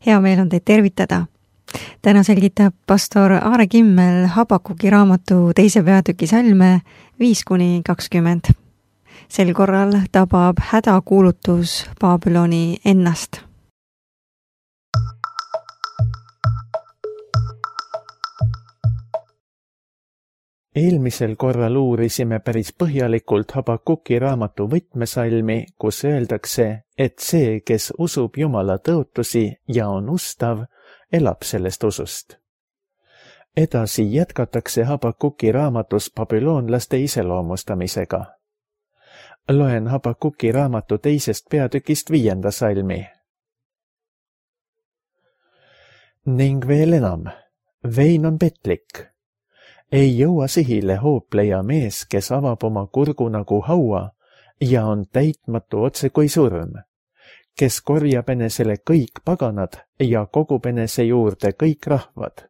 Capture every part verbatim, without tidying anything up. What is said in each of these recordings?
hea meel on teid tervitada. Täna selgitab pastor Aare Kimmel Habakuki raamatu teise peatüki salme viis kuni kakskümmend. Sel korral tabab hädakuulutus Babyloni ennast. Eelmisel korral uurisime päris põhjalikult Habakuki raamatu võtmesalmi, kus öeldakse, et see, kes usub Jumala tõotusi ja on ustav, elab sellest usust. Edasi jätkatakse Habakuki raamatus babüloonlaste iseloomustamisega. Loen Habakuki raamatu teisest peatükist viienda salmi. Ning veel enam, vein on petlik. Ei jõua sihile hoopleja mees, kes avab oma kurgu nagu haua ja on täitmatu otse kui surm, kes korjab enesele kõik paganad ja kogub enese juurde kõik rahvad.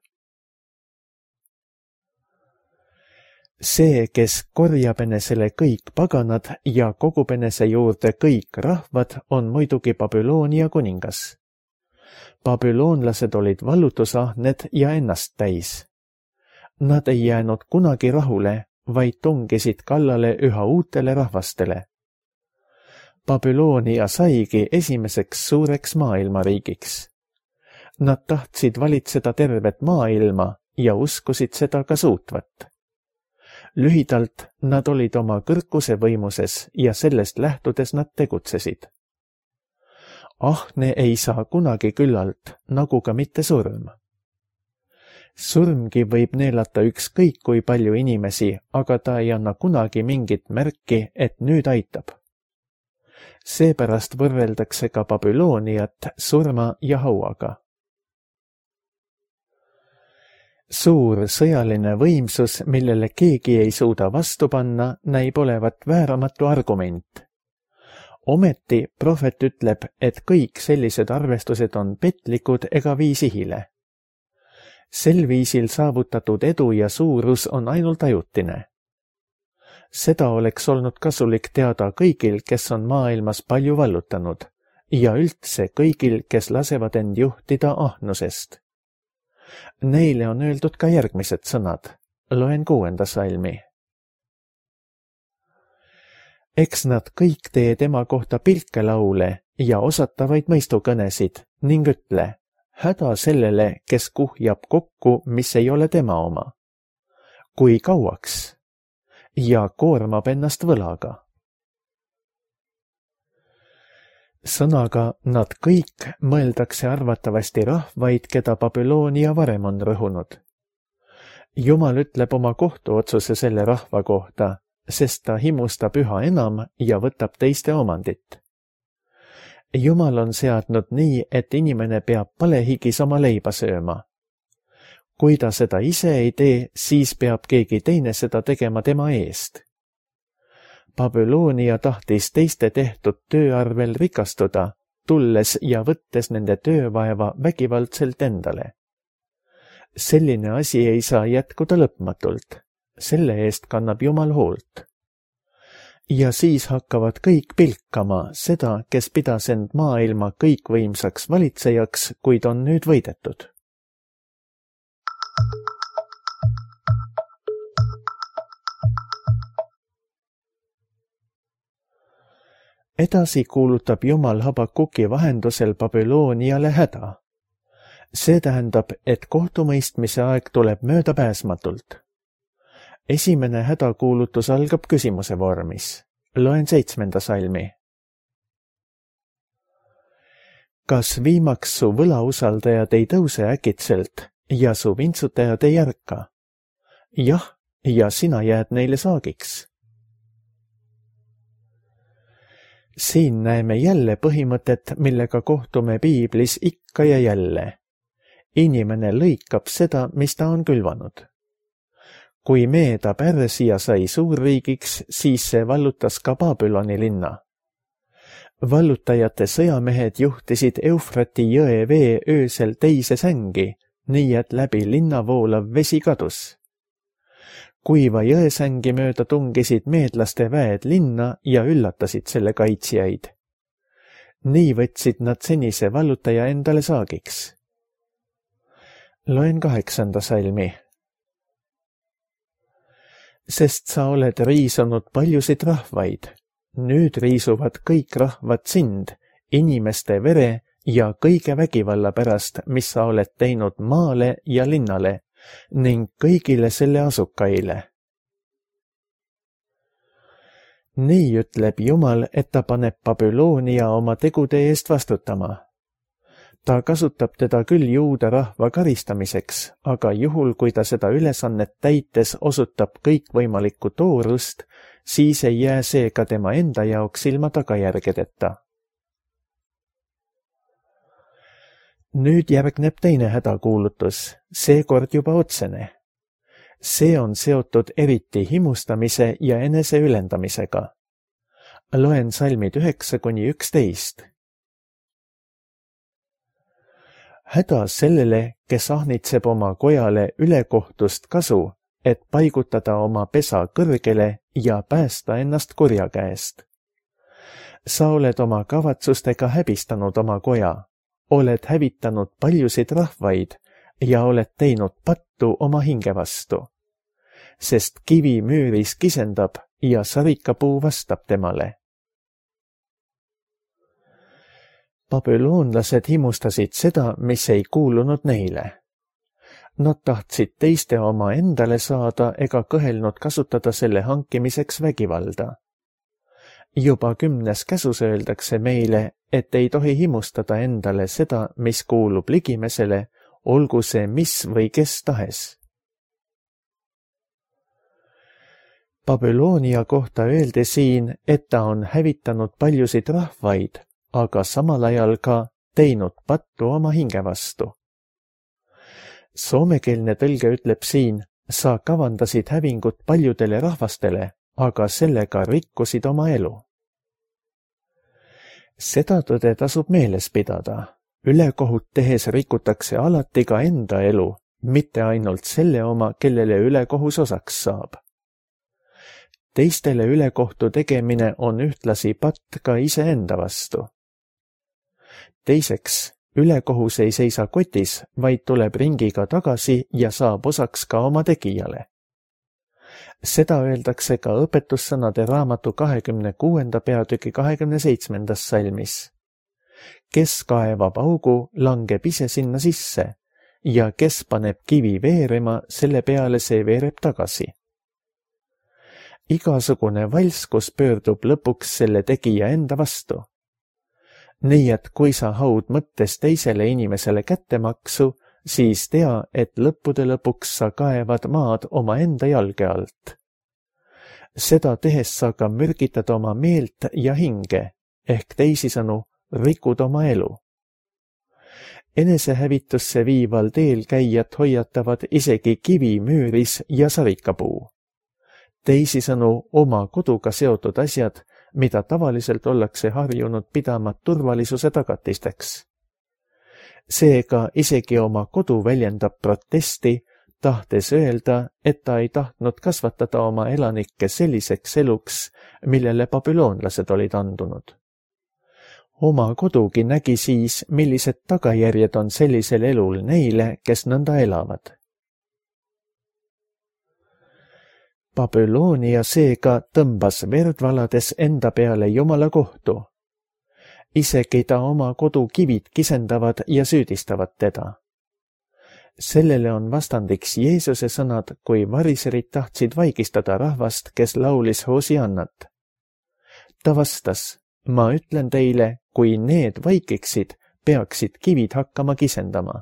See, kes korjab enesele kõik paganad ja kogub enese juurde kõik rahvad, on muidugi Babyloonia kuningas. Babüloonlased olid vallutusahned ja ennast täis. Nad ei jäänud kunagi rahule, vaid tungisid kallale üha uutele rahvastele. Babyloonia saigi esimeseks suureks maailmariigiks. Nad tahtsid valitseda tervet maailma ja uskusid seda ka suutvat. Lühidalt nad olid oma kõrkuse võimuses ja sellest lähtudes nad tegutsesid. Ahne ei saa kunagi küllalt, nagu ka mitte surm. Surmgi võib neelata ükskõik kui palju inimesi, aga ta ei anna kunagi mingit märki, et nüüd aitab. Seepärast võrreldakse ka Babyloniat surma ja hauaga. Suur sõjaline võimsus, millele keegi ei suuda vastu panna, näib olevat vääramatu argument. Ometi prohvet ütleb, et kõik sellised arvestused on petlikud ega vii sihile. Sel viisil saavutatud edu ja suurus on ainult ajutine. Seda oleks olnud kasulik teada kõigil, kes on maailmas palju vallutanud, ja üldse kõigil, kes lasevad end juhtida ahnusest. Neile on öeldud ka järgmised sõnad. Loen kuuenda salmi. Eks nad kõik tee tema kohta pilkelaule ja osatavaid mõistukõnesid ning ütle, häda sellele, kes kuhjab kokku, mis ei ole tema oma. Kui kauaks? Ja koormab ennast võlaga. Sõnaga nad kõik mõeldakse arvatavasti rahvaid, keda Babyloonia varem on rõhunud. Jumal ütleb oma kohtuotsuse selle rahva kohta, sest ta himustab üha enam ja võtab teiste omandit. Jumal on seadnud nii, et inimene peab palehigis oma leiba sööma. Kui ta seda ise ei tee, siis peab keegi teine seda tegema tema eest. Babyloonia tahtis teiste tehtud töö arvel rikastuda, tulles ja võttes nende töövaeva vägivaldselt endale. Selline asi ei saa jätkuda lõpmatult. Selle eest kannab Jumal hoolt. Ja siis hakkavad kõik pilkama seda, kes pidas end maailma kõikvõimsaks valitsejaks, kuid on nüüd võidetud. Edasi kuulutab Jumal Habakuki vahendusel Babyloniale häda. See tähendab, et kohtumõistmise aeg tuleb möödapääsmatult. Esimene hädakuulutus algab küsimuse vormis. Loen seitsmenda salmi. Kas viimaks su võlausaldajad ei tõuse äkitselt ja su vintsutajad ei ärka? Jah, ja sina jääd neile saagiks. Siin näeme jälle põhimõtet, millega kohtume piiblis ikka ja jälle. Inimene lõikab seda, mis ta on külvanud. Kui Meeda Pärsia sai suurriigiks, siis see vallutas ka Babyloni linna. Vallutajate sõjamehed juhtisid Eufrati jõe vee öösel teise sängi, nii et läbi linna voolav vesi kadus. Kuiva jõesängi mööda tungisid meedlaste väed linna ja üllatasid selle kaitsjaid. nii võtsid nad senise vallutaja endale saagiks. Loen kaheksanda salmi. Sest sa oled riisunud paljusid rahvaid, nüüd riisuvad kõik rahvad sind, inimeste vere ja kõige vägivalla pärast, mis sa oled teinud maale ja linnale ning kõigile selle asukaile. Nii ütleb Jumal, et ta paneb Babyloonia oma tegude eest vastutama. Ta kasutab teda küll juuda rahva karistamiseks, aga juhul, kui ta seda ülesannet täites osutab kõikvõimalikku toorust, siis ei jää see ka tema enda jaoks ilma tagajärgedeta. Nüüd järgneb teine hädakuulutus, seekord juba otsene. See on seotud eriti himustamise ja enese ülendamisega. Loen salmid üheksa kuni üksteist. Häda sellele, kes ahnitseb oma kojale ülekohtust kasu, et paigutada oma pesa kõrgele ja päästa ennast kurja käest. Sa oled oma kavatsustega häbistanud oma koja, oled hävitanud paljusid rahvaid ja oled teinud pattu oma hinge vastu. Sest kivi müüris kisendab ja sarikapuu vastab temale. Babüloonlased himustasid seda, mis ei kuulunud neile. Nad tahtsid teiste oma endale saada ega kõhelnud kasutada selle hankimiseks vägivalda. Juba kümnes käsus öeldakse meile, et ei tohi himustada endale seda, mis kuulub ligimesele, olgu see mis või kes tahes. Babyloonia kohta öeldi siin, et ta on hävitanud paljusid rahvaid, aga samal ajal ka teinud pattu oma hinge vastu. Soomekeelne tõlge ütleb siin, sa kavandasid hävingut paljudele rahvastele, aga sellega rikkusid oma elu. Seda tõde tasub meeles pidada. Ülekohut tehes rikutakse alati ka enda elu, mitte ainult selle oma, kellele ülekohus osaks saab. Teistele ülekohtu tegemine on ühtlasi patt ka iseenda vastu. Teiseks, ülekohus ei seisa kotis, vaid tuleb ringiga tagasi ja saab osaks ka oma tegijale. Seda öeldakse ka õpetussõnade raamatu kahekümne kuuenda peatüki kahekümne seitsmendas salmis. Kes kaevab augu, langeb ise sinna sisse ja kes paneb kivi veerema, selle peale see veereb tagasi. Igasugune valskus pöördub lõpuks selle tegija enda vastu. Nii et kui sa haud mõttes teisele inimesele kättemaksu, siis tea, et lõppude lõpuks sa kaevad maad oma enda jalge alt. Seda tehes sa ka mürgitad oma meelt ja hinge, ehk teisisõnu rikud oma elu. Enesehävitusse viival teel käijat hoiatavad isegi kivi müüris ja sarikapuu. Teisisõnu oma koduga seotud asjad, mida tavaliselt ollakse harjunud pidama turvalisuse tagatisteks. Seega isegi oma kodu väljendab protesti, tahtes öelda, et ta ei tahtnud kasvatada oma elanikke selliseks eluks, millele babüloonlased olid andunud. Oma kodugi nägi siis, millised tagajärjed on sellisel elul neile, kes nõnda elavad. Babyloonia seega tõmbas verd valades enda peale Jumala kohtu. Isegi ta oma kodu kivid kisendavad ja süüdistavad teda. Sellele on vastandiks Jeesuse sõnad, kui variserid tahtsid vaigistada rahvast, kes laulis Hosiannat. Ta vastas, ma ütlen teile, kui need vaikiksid, peaksid kivid hakkama kisendama.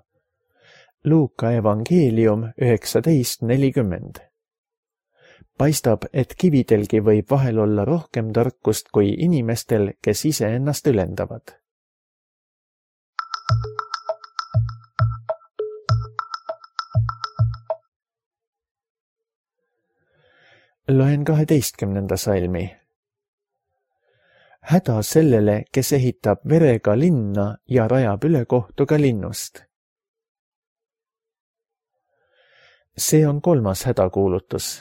Luuka evangeelium üheksateist nelikümmend. Paistab, et kividelgi võib vahel olla rohkem tarkust kui inimestel, kes ise ennast ülendavad. Loen kaheteistkümnenda salmi. Häda sellele, kes ehitab verega linna ja rajab ülekohtu ka linnust. See on kolmas hädakuulutus.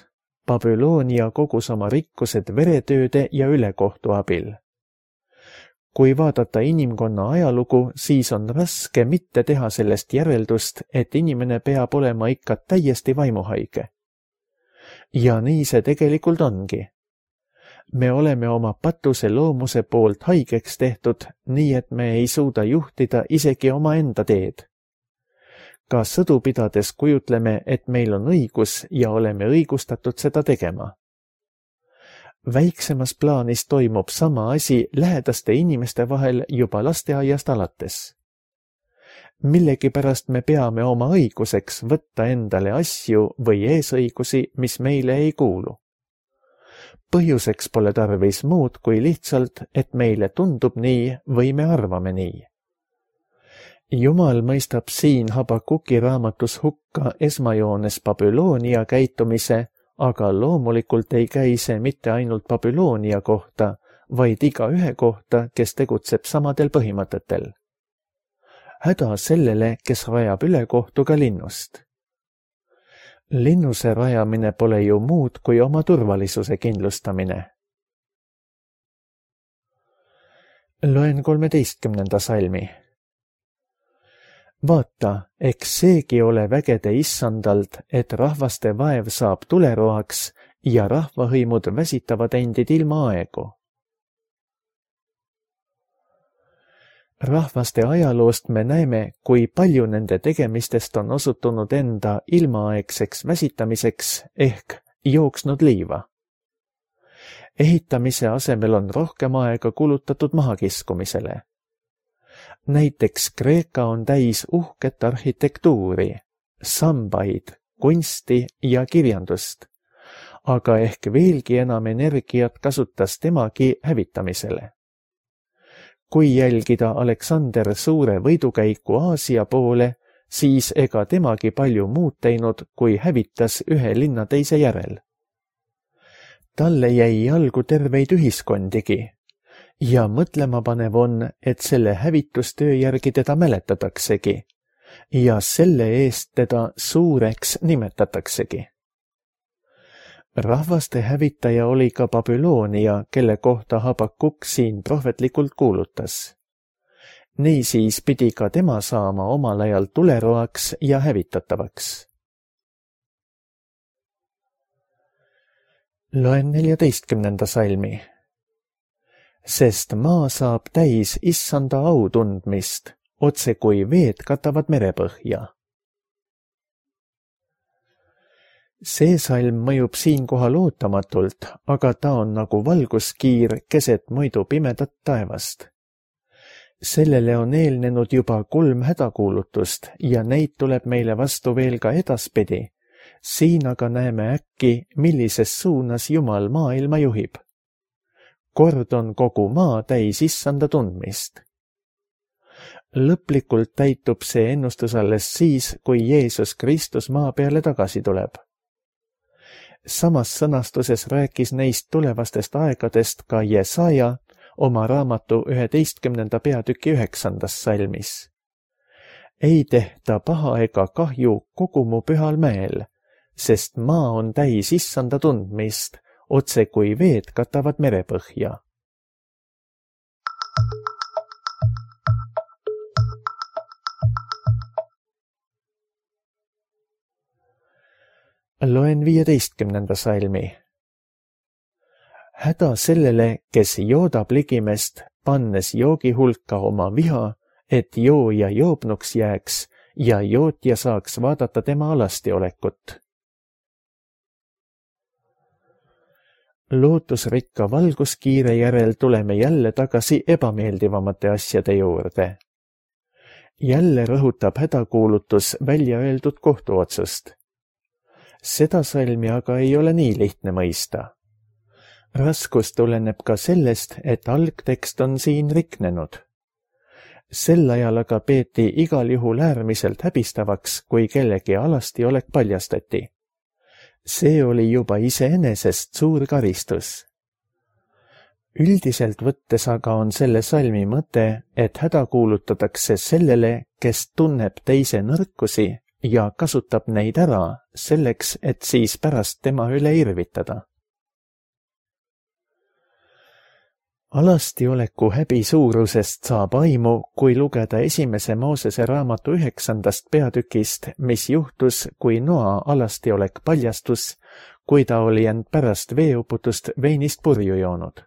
Babyloonia kogus oma rikkused veretööde ja ülekohtu abil. kui vaadata inimkonna ajalugu, siis on raske mitte teha sellest järeldust, et inimene peab olema ikka täiesti vaimuhaige. Ja nii see tegelikult ongi. Me oleme oma patuse loomuse poolt haigeks tehtud, nii et me ei suuda juhtida isegi oma enda teed. Ka sõdu pidades kujutleme, et meil on õigus ja oleme õigustatud seda tegema. Väiksemas plaanis toimub sama asi lähedaste inimeste vahel juba lasteaiast alates. Millegipärast me peame oma õiguseks võtta endale asju või eesõigusi, mis meile ei kuulu. Põhjuseks pole tarvis muud kui lihtsalt, et meile tundub nii või me arvame nii. Jumal mõistab siin Habakuki raamatus hukka esmajoones Babyloonia käitumise, aga loomulikult ei käi see mitte ainult Babyloonia kohta, vaid iga ühe kohta, kes tegutseb samadel põhimõtetel. Häda sellele, kes rajab ülekohtuga linnust. Linnuse rajamine pole ju muud kui oma turvalisuse kindlustamine. Loen kolmeteistkümnenda salmi. Vaata, eks seegi ole vägede issandalt, et rahvaste vaev saab tuleroaks ja rahvahõimud väsitavad endid ilma aegu. Rahvaste ajaloost me näeme, kui palju nende tegemistest on osutunud enda ilmaaegseks väsitamiseks ehk jooksnud liiva. Ehitamise asemel on rohkem aega kulutatud mahakiskumisele. Näiteks Kreeka on täis uhket arhitektuuri, sambaid, kunsti ja kirjandust, aga ehk veelgi enam energiat kasutas temagi hävitamisele. Kui jälgida Aleksander Suure võidukäiku Aasia poole, siis ega temagi palju muud teinud, kui hävitas ühe linna teise järel. Talle jäi jalgu terveid ühiskondigi. Ja mõtlema panev on, et selle hävitustöö järgi teda mäletataksegi ja selle eest teda suureks nimetataksegi. Rahvaste hävitaja oli ka Babyloonia, kelle kohta Habakuk siin prohvetlikult kuulutas. Niisiis pidi ka tema saama omal ajal tuleroaks ja hävitatavaks. Loen neljateistkümnenda salmi. Sest maa saab täis issanda au tundmist, otse kui veed katavad merepõhja. See salm mõjub siinkohal ootamatult, aga ta on nagu valguskiir keset muidu pimedat taevast. Sellele on eelnenud juba kolm hädakuulutust ja neid tuleb meile vastu veel ka edaspidi. Siin aga näeme äkki, millises suunas Jumal maailma juhib. Kord on kogu maa täis issanda tundmist. Lõplikult täitub see ennustus alles siis, kui Jeesus Kristus maa peale tagasi tuleb. Samas sõnastuses rääkis neist tulevastest aegadest ka Jesaja oma raamatu üheteistkümnenda peatüki üheksandas salmis. Ei tehta paha ega kahju kogu mu pühal mäel, sest maa on täis issanda tundmist, otse kui veed katavad merepõhja. Loen viieteistkümnenda salmi. Häda sellele, kes joodab ligimest, pannes joogi hulka oma viha, et jooja joobnuks jääks ja jootja saaks vaadata tema alastiolekut. Lootusrikka valguskiire järel tuleme jälle tagasi ebameeldivamate asjade juurde. Jälle rõhutab hädakuulutus välja öeldud kohtuotsust. Seda salmi aga ei ole nii lihtne mõista. Raskus tuleneb ka sellest, et algtekst on siin riknenud. Sel ajal aga peeti igal juhul äärmiselt häbistavaks, kui kellegi alastiolek paljastati. See oli juba iseenesest suur karistus. Üldiselt võttes aga on selle salmi mõte, et häda kuulutatakse sellele, kes tunneb teise nõrkusi ja kasutab neid ära selleks, et siis pärast tema üle irvitada. Alastioleku häbi suurusest saab aimu, kui lugeda esimese Moosese raamatu üheksandast peatükist, mis juhtus, kui Noa alastiolek paljastus, kui ta oli end pärast veeuputust veinist purju joonud.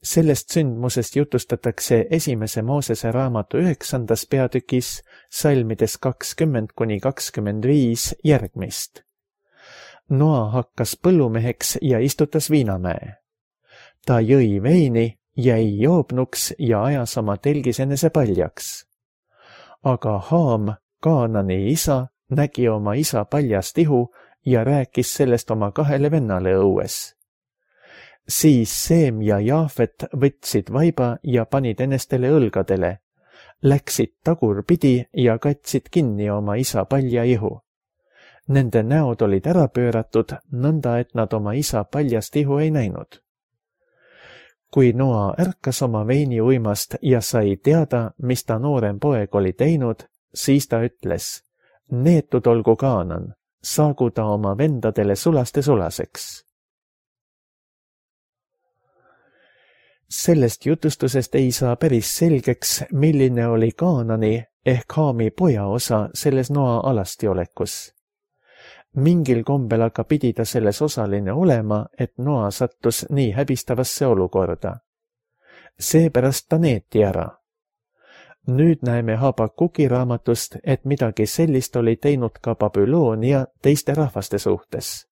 Sellest sündmusest jutustatakse esimese Moosese raamatu üheksandas peatükis salmides kakskümmend kuni kakskümmend viis järgmist. Noa hakkas põllumeheks ja istutas viinamäe. Ta jõi veini, jäi joobnuks ja ajas oma telgis enese paljaks. Aga Haam, Kaanani isa, nägi oma isa paljast ihu ja rääkis sellest oma kahele vennale õues. Siis Seem ja Jaafet võtsid vaiba ja panid enestele õlgadele, läksid tagurpidi ja katsid kinni oma isa palja ihu. Nende näod olid ära pööratud, nõnda et nad oma isa paljast ihu ei näinud. Kui Noa ärkas oma veini uimast ja sai teada, mis ta noorem poeg oli teinud, siis ta ütles, neetud olgu Kaanan, saagu ta oma vendadele sulaste sulaseks. Sellest jutustusest ei saa päris selgeks, milline oli Kaanani ehk Haami poja osa selles Noa alastiolekus. Mingil kombel aga pidi ta selles osaline olema, et Noa sattus nii häbistavasse olukorda. Seepärast ta neeti ära. Nüüd näeme Habakuki raamatust, et midagi sellist oli teinud ka Babyloonia teiste rahvaste suhtes.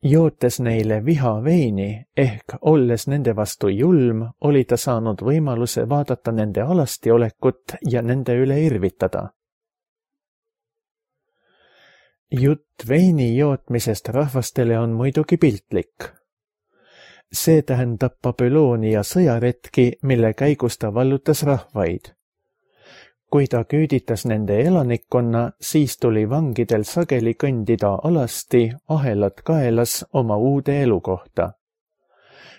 Jootes neile viha veini ehk olles nende vastu julm, oli ta saanud võimaluse vaadata nende alastiolekut ja nende üle irvitada. Jutt veini jootmisest rahvastele on muidugi piltlik. See tähendab Babyloonia sõjaretki, mille käigus ta vallutas rahvaid. Kui ta küüditas nende elanikkonna, siis tuli vangidel sageli kõndida alasti ahelad kaelas oma uude elukohta.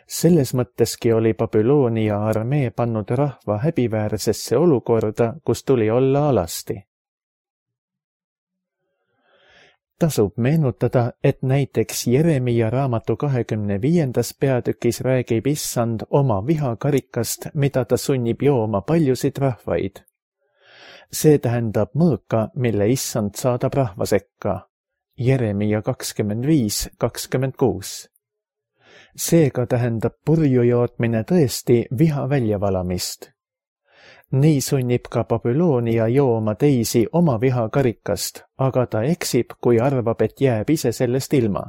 Selles mõtteski oli Babyloonia armee pannud rahva häbiväärsesse olukorda, kus tuli olla alasti. Tasub meenutada, et näiteks Jeremia raamatu kahekümne viiendas peatükis räägib issand oma vihakarikast, mida ta sunnib jooma paljusid rahvaid. See tähendab mõõka, mille issand saadab rahva sekka. Jeremia kakskümmend viis kakskümmend kuus. Seega tähendab purju jootmine tõesti viha väljavalamist. Nii sunnib ka Babyloonia jooma teisi oma vihakarikast, aga ta eksib, kui arvab, et jääb ise sellest ilma.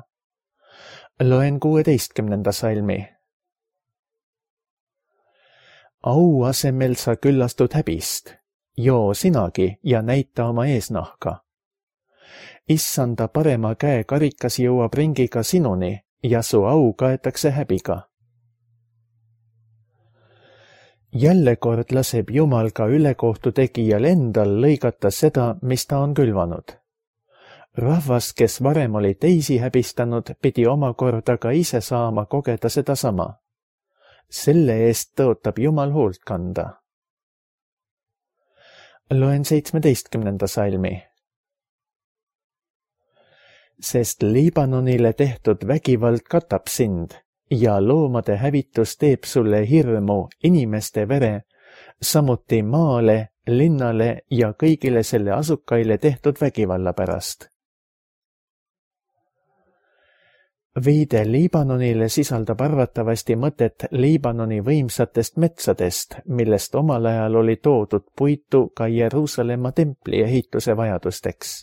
Loen kuueteistkümnenda salmi. Au asemel sa küllastud häbist. Joo sinagi ja näita oma eesnahka. Issanda parema käe karikas jõuab ringiga sinuni ja su au kaetakse häbiga. Jälle kord laseb Jumal ka ülekohtu tegijal endal lõigata seda, mis ta on külvanud. Rahvas, kes varem oli teisi häbistanud, pidi omakorda ka ise saama kogeda seda sama. Selle eest tõotab Jumal hoolt kanda. Loen seitsmeteistkümnenda salmi. Sest Liibanonile tehtud vägivald katab sind ja loomade hävitus teeb sulle hirmu inimeste vere, samuti maale, linnale ja kõigile selle asukaile tehtud vägivalla pärast. Viide Liibanonile sisaldab arvatavasti mõtet Liibanoni võimsatest metsadest, millest omal ajal oli toodud puitu ka Jeruusalemma templi ehituse vajadusteks.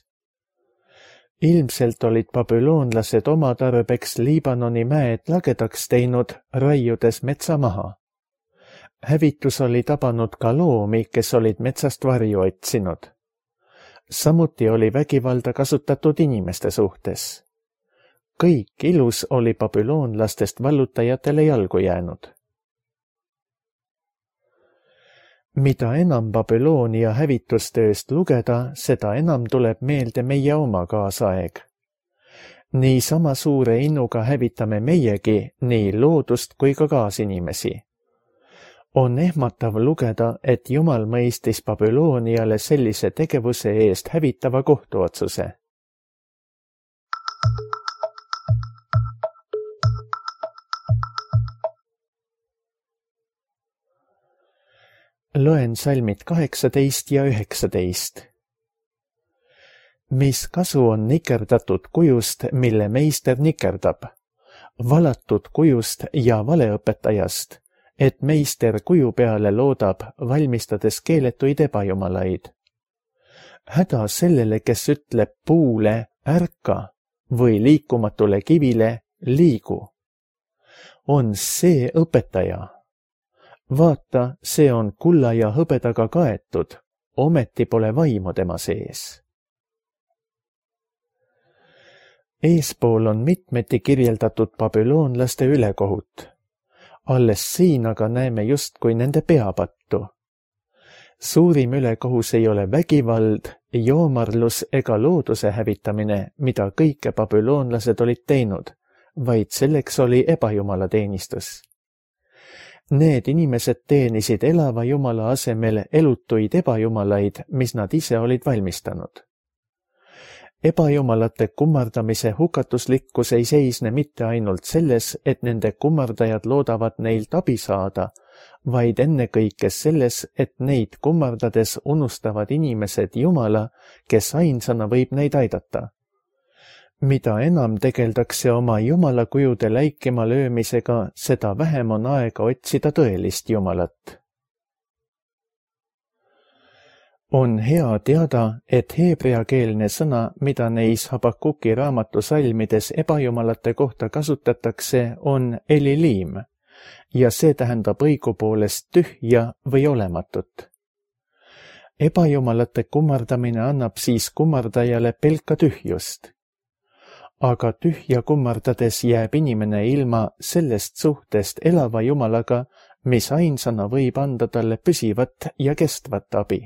Ilmselt olid babüloonlased oma tarbeks Liibanoni mäed lagedaks teinud, raiudes metsa maha. Hävitus oli tabanud ka loomi, kes olid metsast varju otsinud. Samuti oli vägivalda kasutatud inimeste suhtes. Kõik ilus oli babüloonlastest vallutajatele jalgu jäänud. Mida enam Babyloonia hävitustööst lugeda, seda enam tuleb meelde meie oma kaasaeg. Nii sama suure innuga hävitame meiegi nii loodust kui ka kaasinimesi. On ehmatav lugeda, et Jumal mõistis Babyloniale sellise tegevuse eest hävitava kohtuotsuse. Loen salmid kaheksateist ja üheksateist. Mis kasu on nikerdatud kujust, mille meister nikerdab, valatud kujust ja valeõpetajast, et meister kuju peale loodab, valmistades keeletuid ebajumalaid. Häda sellele, kes ütleb puule ärka või liikumatule kivile liigu. On see õpetaja. Vaata, see on kulla ja hõbedaga kaetud, ometi pole vaimu tema sees. Eespool on mitmeti kirjeldatud babüloonlaste ülekohut. Alles siin aga näeme justkui nende peapattu. Suurim ülekohus ei ole vägivald, joomarlus ega looduse hävitamine, mida kõike babüloonlased olid teinud, vaid selleks oli ebajumala teenistus. Need inimesed teenisid elava jumala asemel elutuid ebajumalaid, mis nad ise olid valmistanud. Ebajumalate kummardamise hukatuslikkus ei seisne mitte ainult selles, et nende kummardajad loodavad neilt abi saada, vaid ennekõike selles, et neid kummardades unustavad inimesed Jumala, kes ainsana võib neid aidata. Mida enam tegeldakse oma jumalakujude läikima löömisega, seda vähem on aega otsida tõelist Jumalat. On hea teada, et heebreakeelne sõna, mida neis Habakuki raamatu salmides ebajumalate kohta kasutatakse, on elilim, ja see tähendab õigupoolest tühja või olematut. Ebajumalate kummardamine annab siis kummardajale pelka tühjust. Aga tühja kummardades jääb inimene ilma sellest suhtest elava Jumalaga, mis ainsana võib anda talle püsivat ja kestvat abi.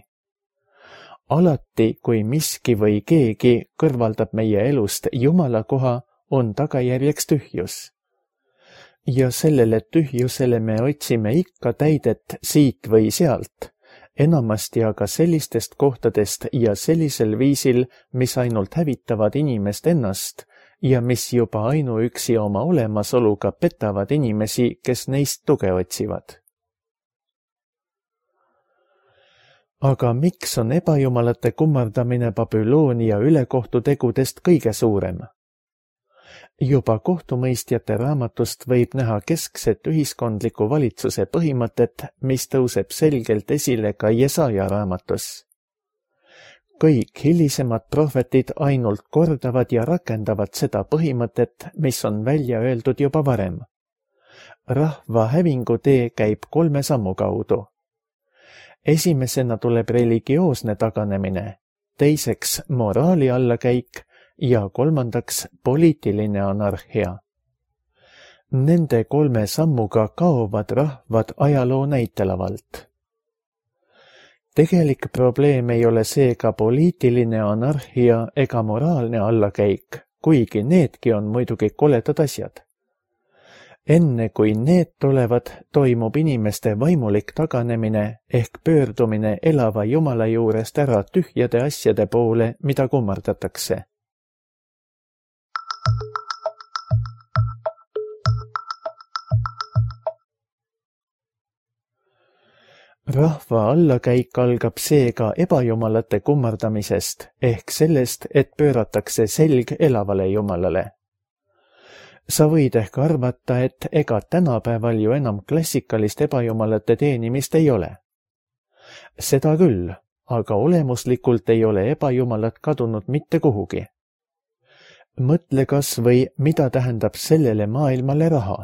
Alati, kui miski või keegi kõrvaldab meie elust Jumala koha, on tagajärjeks tühjus. Ja sellele tühjusele me otsime ikka täidet siit või sealt, enamasti aga sellistest kohtadest ja sellisel viisil, mis ainult hävitavad inimest ennast ja mis juba ainuüksi oma olemasoluga petavad inimesi, kes neist tuge otsivad. Aga miks on ebajumalate kummardamine Babyloonia ülekohtutegudest kõige suurem? Juba kohtumõistjate raamatust võib näha keskset ühiskondliku valitsuse põhimõtet, mis tõuseb selgelt esile ka Jesaja raamatus. Kõik hilisemad prohvetid ainult kordavad ja rakendavad seda põhimõtet, mis on välja öeldud juba varem. Rahva hävingu tee käib kolme sammu kaudu. Esimesena tuleb religioosne taganemine, teiseks moraali allakäik ja kolmandaks poliitiline anarhia. Nende kolme sammuga kaovad rahvad ajaloo näitelavalt. Tegelik probleem ei ole seega poliitiline anarhia ega moraalne allakäik, kuigi needki on muidugi koledad asjad. Enne kui need tulevad, toimub inimeste vaimulik taganemine ehk pöördumine elava Jumala juurest ära tühjade asjade poole, mida kummardatakse. Rahva allakäik algab seega ebajumalate kummardamisest ehk sellest, et pööratakse selg elavale Jumalale. Sa võid ehk arvata, et ega tänapäeval ju enam klassikalist ebajumalate teenimist ei ole. Seda küll, aga olemuslikult ei ole ebajumalad kadunud mitte kuhugi. Mõtle kas või, mida tähendab sellele maailmale raha.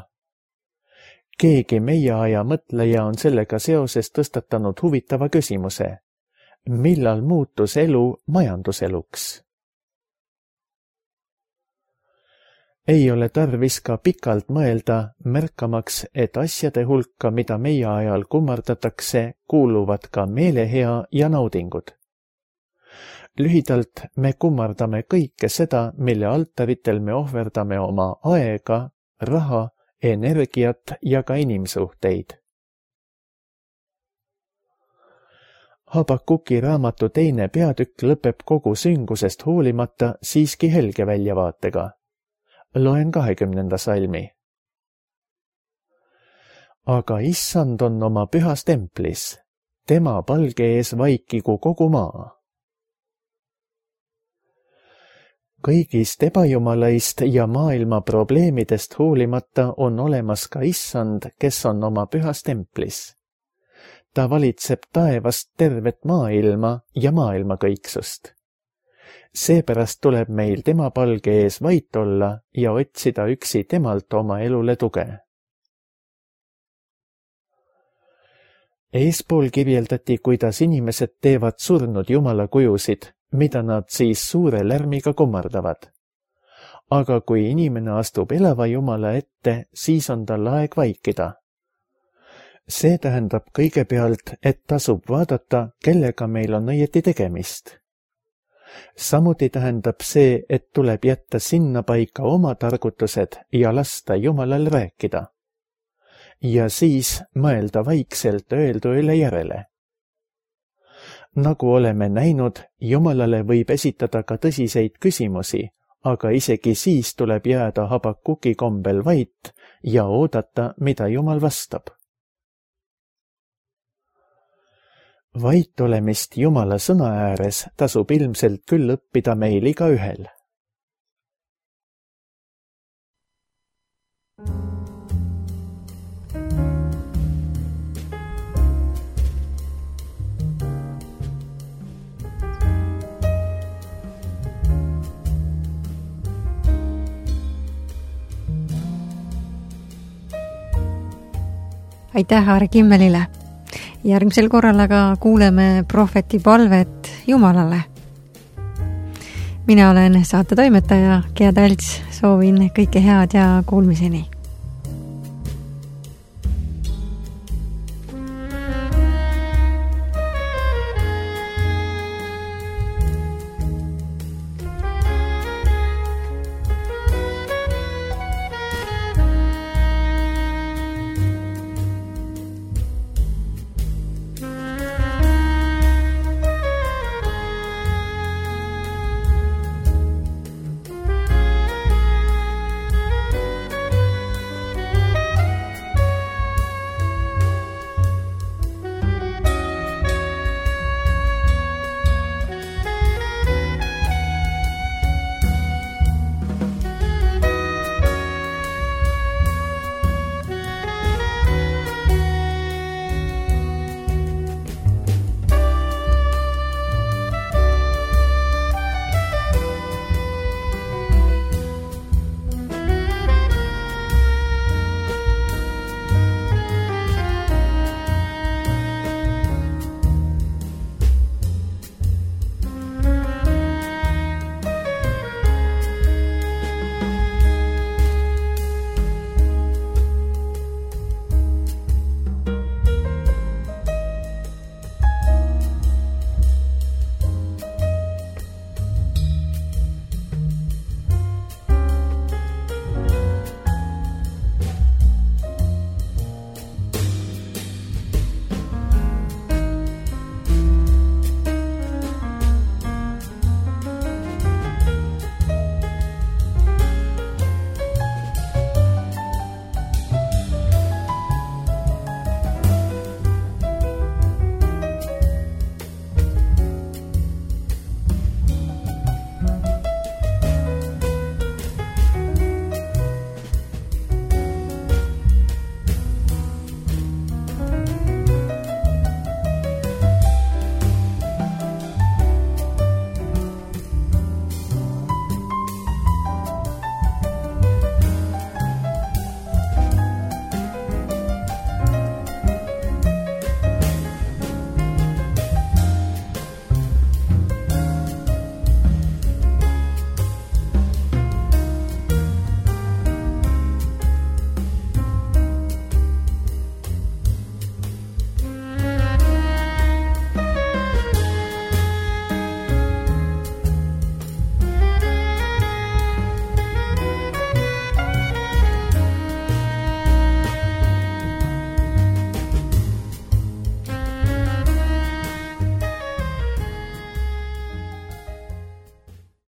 Keegi meie aja mõtleja on sellega seoses tõstatanud huvitava küsimuse. Millal muutus elu majanduseluks? Ei ole tarvis ka pikalt mõelda, märkamaks, et asjade hulka, mida meie ajal kummardatakse, kuuluvad ka meelehea ja naudingud. Lühidalt me kummardame kõike seda, mille altaritel me ohverdame oma aega, raha, energiat ja ka inimsuhteid. Habakuki raamatu teine peatükk lõpeb kogu süngusest hoolimata siiski helge väljavaatega. Loen kahekümnenda salmi. Aga issand on oma pühas templis. tema palge ees vaikigu kogu maa. Kõigist ebajumalaist ja maailma probleemidest hoolimata on olemas ka issand, kes on oma pühas templis. Ta valitseb taevast tervet maailma ja maailma kõiksust. Seepärast tuleb meil tema palge ees vait olla ja otsida üksi temalt oma elule tuge. Eespool kirjeldati, kuidas inimesed teevad surnud jumala kujusid, mida nad siis suure lärmiga kummardavad. Aga kui inimene astub elava jumala ette, siis on tal aeg vaikida. See tähendab kõigepealt, et tasub vaadata, kellega meil on õieti tegemist. Samuti tähendab see, et tuleb jätta sinna paika oma targutused ja lasta jumalal rääkida. Ja siis mõelda vaikselt öeldu üle järele. Nagu oleme näinud, jumalale võib esitada ka tõsiseid küsimusi, aga isegi siis tuleb jääda Habakuki kombel vait ja oodata, mida jumal vastab. Vait olemist jumala sõna ääres tasub ilmselt küll õppida meil igaühel. Aitäh Aare Kimmelile. Järgmisel korral aga kuuleme prohveti palvet Jumalale. Mina olen saate toimetaja Gea Talts, soovin kõike head ja kuulmiseni.